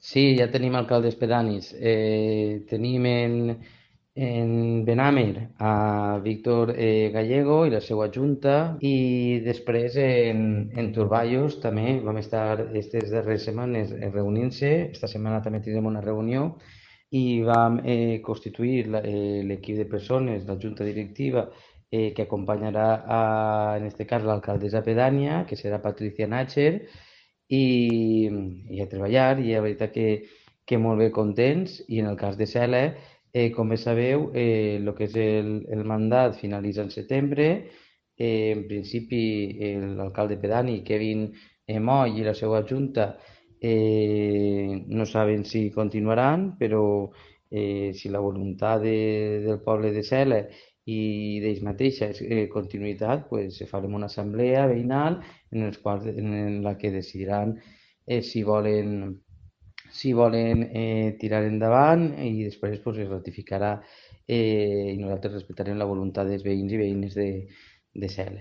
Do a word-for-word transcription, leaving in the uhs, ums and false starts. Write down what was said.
Sí, ja tenim alcaldes pedanis. Eh, tenim en, en Benàmer a Víctor eh, Gallego i la seva junta i després en, en Turballos també vam estar aquestes darreres setmanes eh, reunint-se. Esta setmana també tindrem una reunió i vam eh, constituir la- eh, l'equip de persones, la junta directiva eh, que acompanyarà a, en este cas l'alcaldessa pedània, que serà Patricia Natcher, i, i a treballar, i la veritat que, que molt bé contents, i en el cas de Cela, eh, com bé sabeu, eh, el que és el, el mandat finalitza en setembre. Eh, en principi el- l'alcalde pedani, Kevin eh, Moll, i la seva junta eh, no saben si continuaran, però eh, si la voluntat de, del poble de Cela i d'ells mateixes és eh, continuïtat, pues, farem una assemblea veïnal en, els quals, en la que decidiran eh, si volen, si volen eh, tirar endavant, i després pues, es ratificarà eh, i nosaltres respectarem la voluntat dels veïns i veïnes de, de Cel.